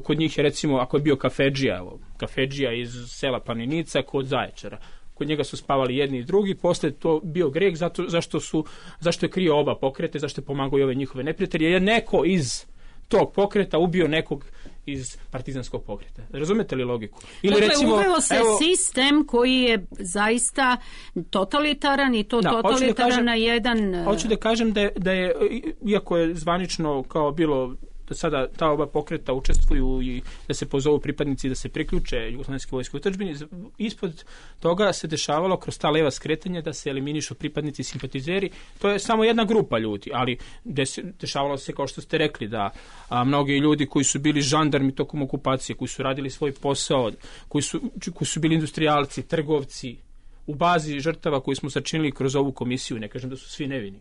kod njih je recimo, ako je bio kafedžija iz sela Paninica kod Zaječara, kod njega su spavali jedni i drugi, posle to bio greh zašto je krio oba pokrete, zašto je pomagao i ove njihove neprijatelje, je neko iz tog pokreta ubio nekog iz partizanskog pokreta. Razumete li logiku? Ili uveo se sistem koji je zaista totalitaran i to totalitaran na jedan... Hoću da kažem da je, iako je zvanično kao bilo da sada ta oba pokreta učestvuju i da se pozovu pripadnici da se priključe jugoslovenske vojske utadžbini, ispod toga se dešavalo kroz ta leva skretanja da se eliminišu pripadnici i simpatizeri. To je samo jedna grupa ljudi, ali dešavalo se, kao što ste rekli, da mnogi ljudi koji su bili žandarmi tokom okupacije, koji su radili svoj posao, koji su bili industrijalci, trgovci, u bazi žrtava koju smo sačinili kroz ovu komisiju, ne kažem da su svi nevini,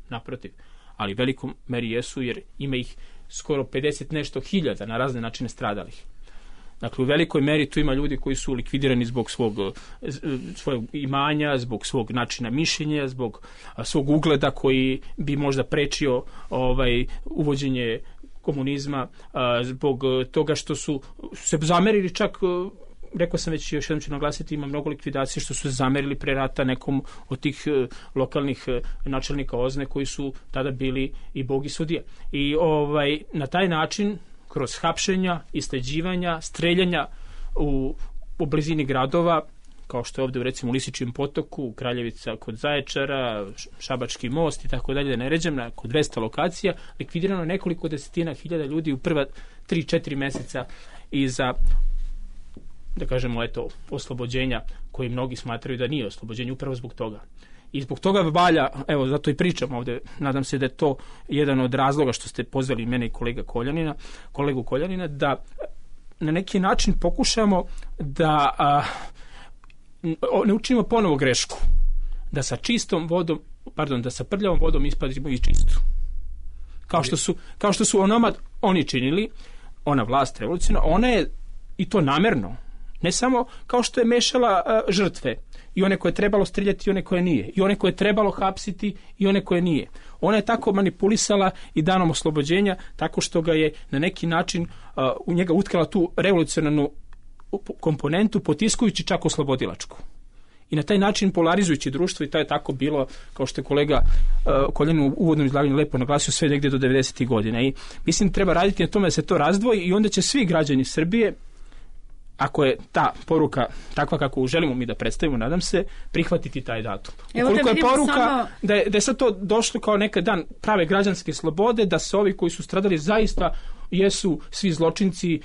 naprotiv, ali velikom meri jesu, jer ima ih skoro 50 nešto hiljada na razne načine stradalih. Dakle, u velikoj meri tu ima ljudi koji su likvidirani zbog svog imanja, zbog svog načina mišljenja, zbog svog ugleda koji bi možda prečio uvođenje komunizma, zbog toga što su se zamerili čak, rekao sam već, još jednom ću naglasiti, ima mnogo likvidacije što su se zamerili pre rata nekom od tih lokalnih načelnika OZNE koji su tada bili i bog i sudija. I na taj način, kroz hapšenja, isleđivanja, streljanja u blizini gradova, kao što je ovdje recimo u Lisičijem potoku, Kraljevica kod Zaječara, Šabački most i tako dalje, da ne ređem, na kod 200 lokacija, likvidirano nekoliko desetina hiljada ljudi u prva 3-4 meseca iza, da kažemo, oslobođenja koji mnogi smatraju da nije oslobođenje upravo zbog toga. I zbog toga valja, evo, zato i pričam ovdje, nadam se da je to jedan od razloga što ste pozvali mene i kolegu Koljanina, da na neki način pokušamo da ne učinimo ponovo grešku, da sa da sa prljavom vodom ispadimo i čistu. Kao što su oni činili, ona vlast revolucionarna, ona je i to namerno, ne samo kao što je mešala žrtve, i one koje je trebalo streljati i one koje nije, i one koje je trebalo hapsiti i one koje nije. Ona je tako manipulisala i danom oslobođenja, tako što ga je na neki način u njega utkala tu revolucionarnu komponentu, potiskujući čak oslobodilačku. I na taj način polarizujući društvo, i to je tako bilo, kao što je kolega Koljanin u uvodnom izlaganju lepo naglasio, sve negdje do 90. godina. I mislim treba raditi na tome da se to razdvoji i onda će svi građani Srbije, ako je ta poruka takva kako želimo mi da predstavimo, nadam se, prihvatiti taj datum. Ukoliko je poruka da je sad to došlo kao nekad dan prave građanske slobode, da se ovi koji su stradali zaista jesu svi zločinci,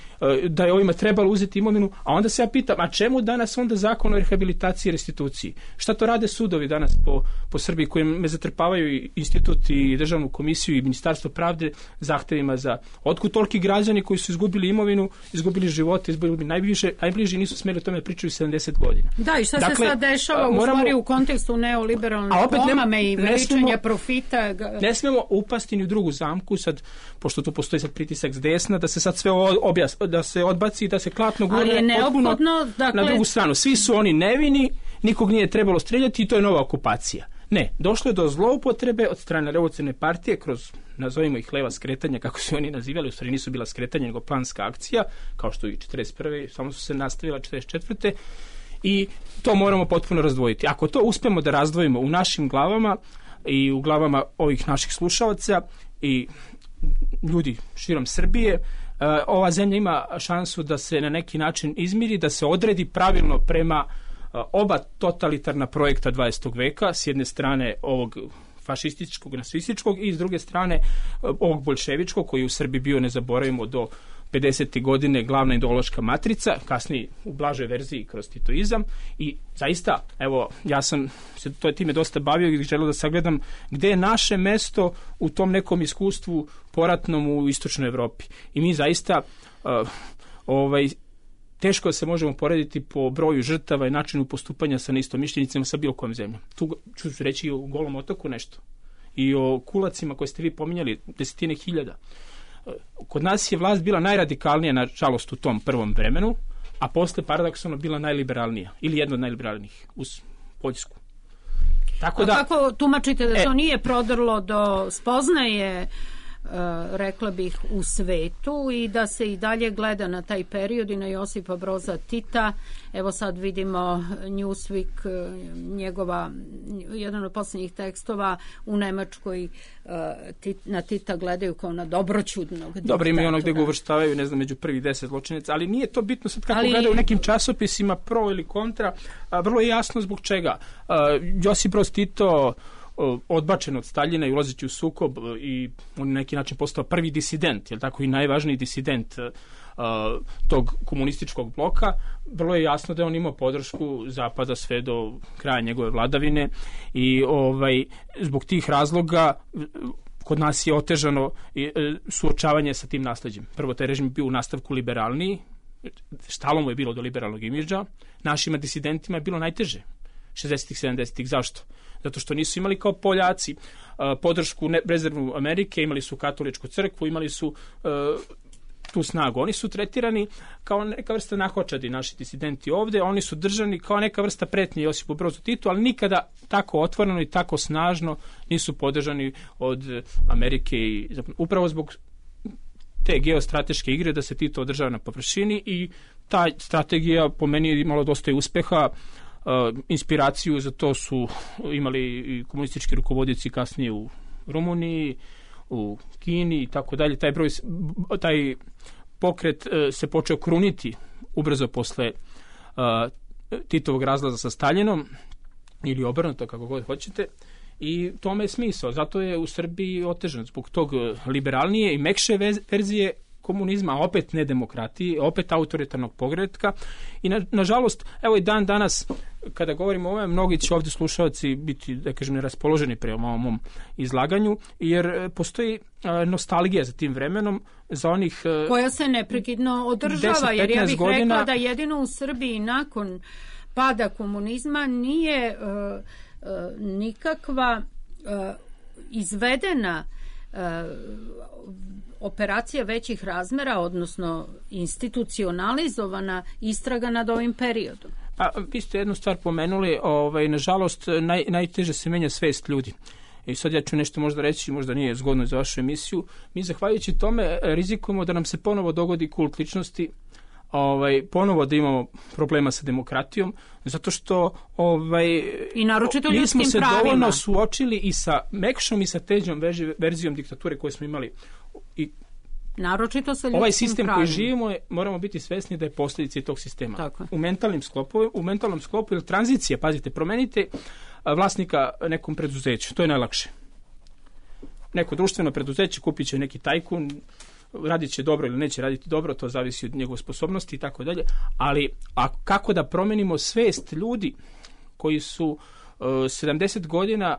da je ovima trebalo uzeti imovinu, a onda se ja pitam, a čemu danas onda zakon o rehabilitaciji i restituciji? Šta to rade sudovi danas po Srbiji, koji me zatrpavaju i institut i državnu komisiju i ministarstvo pravde zahtevima za otkud toliki građani koji su izgubili imovinu, izgubili živote, izgubili najbliži nisu smeli o tome pričaju 70 godina. Da, i šta se sad dešava u stvari u kontekstu neoliberalne pomame i veličanja profita? Ne smemo upasti ni u drugu zamku, sad, pošto tu postoji sad pritisak s desna, da se sad sve da se odbaci, da se klatno gurne potpuno na drugu stranu. Svi su oni nevini, nikog nije trebalo streljati i to je nova okupacija. Ne, došlo je do zloupotrebe od strane revolucionarne partije kroz, nazovimo ih, leva skretanja, kako su oni nazivali, u stvari nisu bila skretanja, nego planska akcija, kao što i 41. samo su se nastavila 44. I to moramo potpuno razdvojiti. Ako to uspemo da razdvojimo u našim glavama i u glavama ovih naših slušalaca i ljudi širom Srbije, ova zemlja ima šansu da se na neki način izmiri, da se odredi pravilno prema oba totalitarna projekta 20. veka, s jedne strane ovog fašističkog, nacističkog i s druge strane ovog boljševičkog, koji je u Srbiji bio, ne zaboravimo, do 50. godine glavna ideološka matrica, kasnije u blažoj verziji kroz titoizam. I zaista, evo, ja sam se time dosta bavio i želeo da sagledam gde je naše mesto u tom nekom iskustvu poratnom u istočnoj Evropi. I mi zaista teško se možemo porediti po broju žrtava i načinu postupanja sa neistomišljenicima sa bilo kojom zemljom. Tu ću reći i o Golom otoku nešto. I o kulacima koje ste vi pominjali, 10.000. Kod nas je vlast bila najradikalnija, nažalost, u tom prvom vremenu, a posle paradoksalno bila najliberalnija, ili jedna od najliberalnijih, uz Poljsku. Tako da, kako tumačite da to nije prodrlo do spoznaje, rekla bih, u svetu i da se i dalje gleda na taj period i na Josipa Broza Tita? Evo sad vidimo Newsweek, jedan od posljednjih tekstova u Nemačkoj, na Tita gledaju kao na dobroćudnog diktatora. Dobro, ima i ono gde ga uvrštavaju, ne znam, među prvih 10 zločinaca, ali nije to bitno sad kako gledaju u nekim časopisima pro ili kontra, vrlo je jasno zbog čega. Josip Broz Tito odbačen od Staljina i ulazeći u sukob i on na neki način postao prvi disident, jel tako, i najvažniji disident tog komunističkog bloka, vrlo je jasno da je on imao podršku Zapada sve do kraja njegove vladavine i zbog tih razloga kod nas je otežano suočavanje sa tim nasleđem. Prvo, taj režim bio u nastavku liberalniji, stalo mu je bilo do liberalnog imidža, našima disidentima je bilo najteže 60-ih, 70-ih. Zašto? Zato što nisu imali kao Poljaci podršku rezervnu Amerike, imali su katoličku crkvu, imali su tu snagu. Oni su tretirani kao neka vrsta nahočadi, naši disidenti ovde, oni su držani kao neka vrsta pretnje Josipu Brozu Titu, ali nikada tako otvoreno i tako snažno nisu podržani od Amerike. I upravo zbog te geostrateške igre da se Tito održava na površini i ta strategija po meni je imala dosta uspeha. Inspiraciju za to su imali i komunistički rukovodioci kasnije u Rumuniji, u Kini i tako dalje. Taj pokret se počeo kruniti ubrzo posle Titovog razlaza sa Staljinom ili obrnuto, kako god hoćete, i tome je smisao. Zato je u Srbiji otežan zbog tog liberalnije i mekše verzije komunizma, opet ne demokratiji, opet autoritarnog pogretka i nažalost, evo i dan danas kada govorimo o ovome, mnogi će ovdje slušalci biti, da kažem, neraspoloženi prema ovom mom izlaganju, jer postoji nostalgija za tim vremenom, za onih koja se neprekidno održava, jer ja bih rekla da jedino u Srbiji nakon pada komunizma nije nikakva izvedena operacija većih razmera, odnosno institucionalizovana istraga nad ovim periodom. Pa, vi ste jednu stvar pomenuli, nažalost, najteže se menja svest ljudi. I sad ja ću nešto možda reći, možda nije zgodno za vašu emisiju. Mi, zahvaljujući tome, rizikujemo da nam se ponovo dogodi kult ličnosti, ponovo da imamo problema sa demokratijom, zato što i naročito ljudskim nismo se pravima dovoljno suočili i sa mekšom i sa teđom verzijom diktature koje smo imali. I naročito sa ljudskim ovaj sistem pravima koji živimo moramo biti svesni da je posljedica tog sistema. Tako. U mentalnom sklopu ili tranzicija, pazite, promenite vlasnika nekom preduzeću, to je najlakše. Neko društveno preduzeće kupit će neki tajkun, radit će dobro ili neće raditi dobro, to zavisi od njegove sposobnosti i tako dalje, ali kako da promenimo svest ljudi koji su 70 godina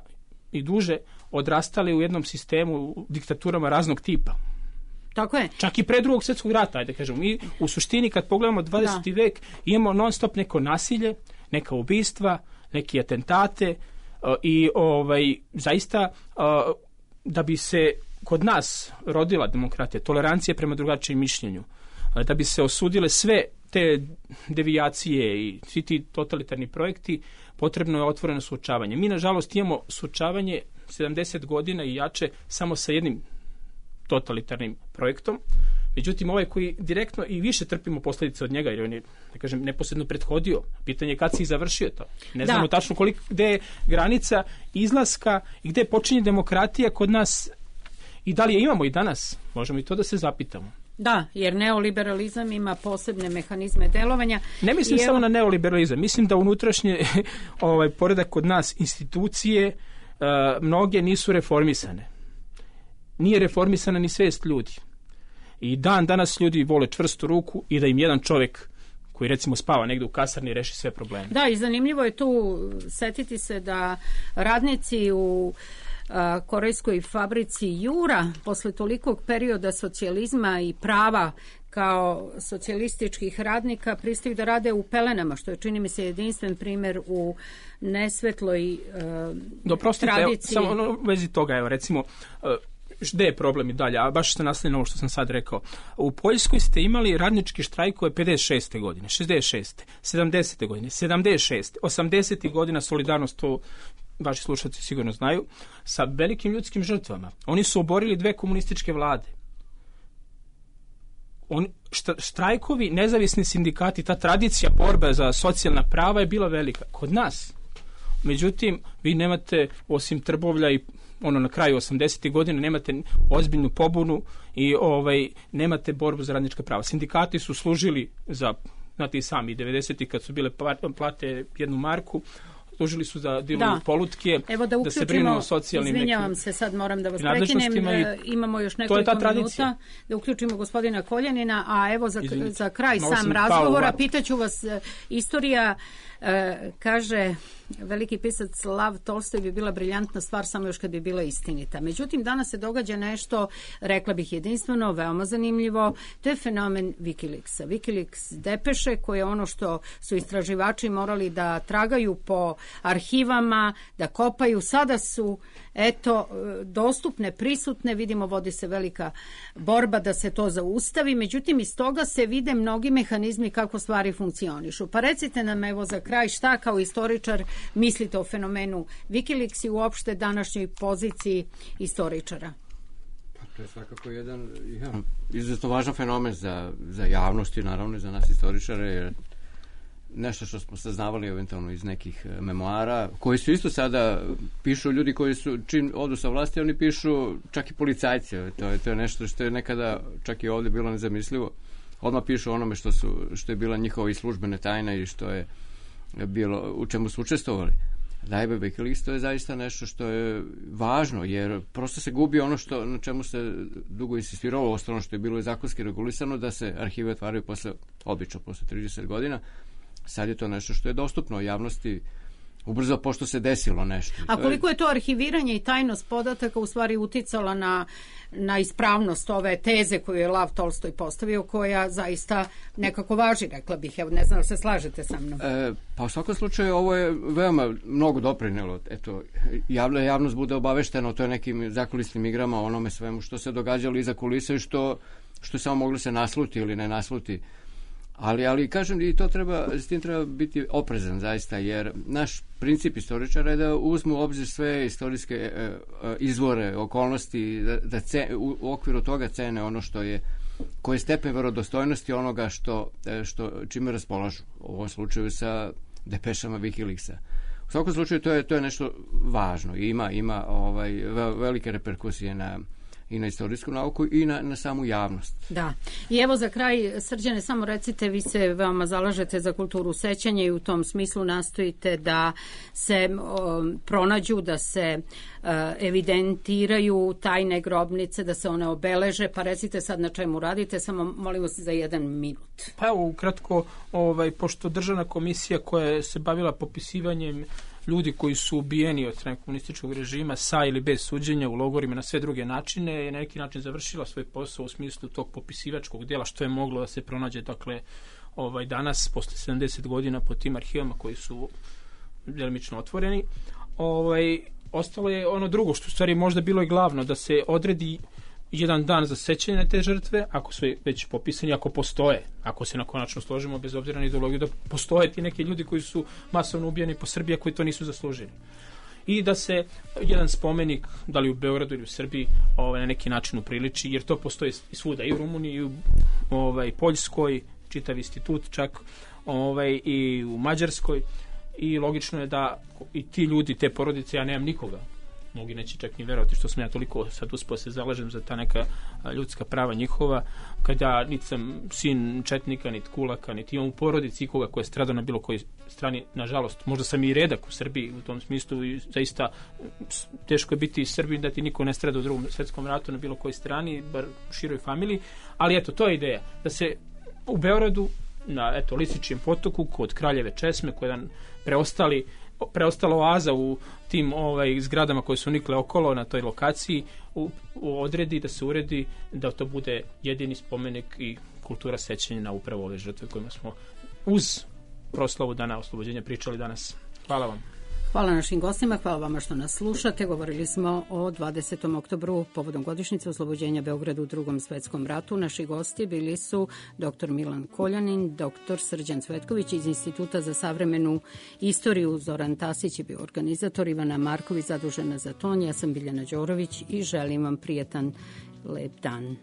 i duže odrastali u jednom sistemu, u diktaturama raznog tipa. Tako je. Čak i pre Drugog svjetskog rata, ajde kažemo. Mi u suštini kad pogledamo 20. vek imamo non stop neko nasilje, neka ubistva, neki atentate i zaista da bi se kod nas rodila demokratija, tolerancija prema drugačijem mišljenju, da bi se osudile sve te devijacije i svi ti totalitarni projekti, potrebno je otvoreno suočavanje. Mi, nažalost, imamo suočavanje 70 godina i jače samo sa jednim totalitarnim projektom. Međutim, ovaj koji direktno i više trpimo posljedice od njega, jer on je, da kažem, neposredno prethodio. Pitanje je kad si završio to. Ne znamo tačno gde je granica izlaska i gde počinje demokratija kod nas i da li je imamo i danas. Možemo i to da se zapitamo. Da, jer neoliberalizam ima posebne mehanizme delovanja. Ne mislim samo na neoliberalizam. Mislim da unutrašnje poredak kod nas institucije mnoge nisu reformisane. Nije reformisana ni svest ljudi. I danas ljudi vole čvrstu ruku i da im jedan čovjek koji recimo spava negdje u kasarni reši sve probleme. Da, i zanimljivo je tu setiti se da radnici u korejskoj fabrici Jura posle tolikog perioda socijalizma i prava kao socijalističkih radnika pristaju da rade u pelenama, što je, čini mi se, jedinstven primjer u nesvetloj tradiciji. Samo u vezi toga, evo, recimo, gde je problem i dalje, a baš ste nastavili na ovo što sam sad rekao. U Poljskoj ste imali radničke štrajkove 56. godine, 66. 70. godine, 76. 80. godina, solidarnost, to vaši slušalci sigurno znaju, sa velikim ljudskim žrtvama. Oni su oborili 2 komunističke vlade. Štrajkovi, nezavisni sindikati, ta tradicija borbe za socijalna prava je bila velika. Kod nas. Međutim, vi nemate, osim Trbovlja i na kraju 80. godine, nemate ozbiljnu pobunu i nemate borbu za radnička prava. Sindikati su služili za, znate i sami, 90. kad su bile plate 1 marku, služili su za diluju polutke, da se brinu o socijalnim nekim. Izvinjavam se, sad moram da vas prekinem, imamo još nekoliko minuta da uključimo gospodina Koljanina, a evo za kraj sam razgovora pitaću vas, istorija kaže veliki pisac Lav Tolstoj bi bila briljantna stvar samo još kad bi bila istinita. Međutim, danas se događa nešto, rekla bih jedinstveno, veoma zanimljivo, to je fenomen Wikileaksa. Wikileaks depeše, koje je ono što su istraživači morali da tragaju po arhivama, da kopaju, sada su dostupne, prisutne, vidimo vodi se velika borba da se to zaustavi, međutim iz toga se vide mnogi mehanizmi kako stvari funkcionišu. Pa recite nam evo za kraj šta kao istoričar mislite o fenomenu Wikileaks i uopšte današnjoj poziciji istoričara? To je svakako jedan izuzetno važan fenomen za javnost i naravno i za nas istoričare, jer nešto što smo saznavali eventualno iz nekih memoara, koji su isto sada pišu ljudi koji su, čim odu sa vlasti, oni pišu čak i policajci. To je nešto što je nekada čak i ovdje bilo nezamislivo. Odmah pišu onome što je bila njihova i službene tajna i što je bilo, u čemu su učestvovali. Dajbe Wikileaks, to je zaista nešto što je važno, jer prosto se gubi ono na čemu se dugo insistiralo, ostalo što je bilo i zakonski regulisano, da se arhive otvaraju obično posle 30 godina. Sad je to nešto što je dostupno javnosti ubrzo pošto se desilo nešto. A koliko je to arhiviranje i tajnost podataka u stvari uticala na ispravnost ove teze koju je Lav Tolstoj postavio, koja zaista nekako važi, rekla bih. Evo, ne znam da se slažete sa mnom. Pa u svakom slučaju ovo je veoma mnogo doprinelo. Eto, javnost bude obaveštena o toj nekim zakulisnim igrama, onome svemu što se događalo iza kulisa i što samo moglo se nasluti ili ne nasluti. Ali kažem, i s tim treba biti oprezan zaista, jer naš princip istoričara je da uzmu u obzir sve istorijske izvore, okolnosti, da u okviru toga cene ono koji je stepen verodostojnosti onoga čime raspolažu. U ovom slučaju sa depešama Wikileaksa. U svakom slučaju to je nešto važno i ima velike reperkusije i na istorijsku nauku i na samu javnost. Da. I evo za kraj, Srđane, samo recite, vi se veoma zalažete za kulturu sećanja i u tom smislu nastojite da se pronađu, da se evidentiraju tajne grobnice, da se one obeleže, pa recite sad na čemu radite, samo molimo se za 1 minut. Pa evo, ukratko, pošto državna komisija koja se bavila popisivanjem ljudi koji su ubijeni od strane komunističkog režima sa ili bez suđenja u logorima na sve druge načine je na neki način završila svoj posao u smislu tog popisivačkog dela što je moglo da se pronađe danas posle 70 godina po tim arhivama koji su delimično otvoreni. Ostalo je ono drugo što u stvari možda bilo i glavno, da se odredi jedan dan za sećanje na te žrtve, ako su već popisani, ako postoje, ako se na konačno složimo bez obzira na ideologiju, da postoje ti neki ljudi koji su masovno ubijeni po Srbiji, koji to nisu zaslužili. i da se jedan spomenik, da li u Beogradu ili u Srbiji, na neki način upriliči, jer to postoji i svuda, i u Rumuniji, i u Poljskoj, čitav institut čak, i u Mađarskoj, i logično je da i ti ljudi, te porodice, ja nemam nikoga, mnogi neće čak ni verovati što sam ja toliko sad uspio se zalažem za ta neka ljudska prava njihova, kada niti sam sin četnika, niti kulaka, niti imam u porodici ikoga koja je stradao na bilo kojoj strani, nažalost. Možda sam i redak u Srbiji u tom smislu i zaista teško je biti iz Srbije da ti niko ne strada u Drugom svetskom ratu na bilo kojoj strani, bar u široj familiji, ali eto, to je ideja, da se u Beogradu na Lisičijem potoku kod Kraljeve česme, koja je preostala oaza u tim zgradama koje su nikle okolo na toj lokaciji, odredi, da se uredi, da to bude jedini spomenik i kultura sećanja na upravo ove žrtve kojima smo uz proslavu Dana oslobođenja pričali danas. Hvala vam. Hvala našim gostima, hvala vama što nas slušate. Govorili smo o 20. oktobru povodom godišnjice oslobođenja Beograda u Drugom svetskom ratu. Naši gosti bili su dr. Milan Koljanin, dr. Srđan Cvetković iz Instituta za savremenu istoriju, Zoran Tasić je bio organizator, Ivana Marković zadužena za ton, ja sam Biljana Đorović i želim vam prijetan lep dan.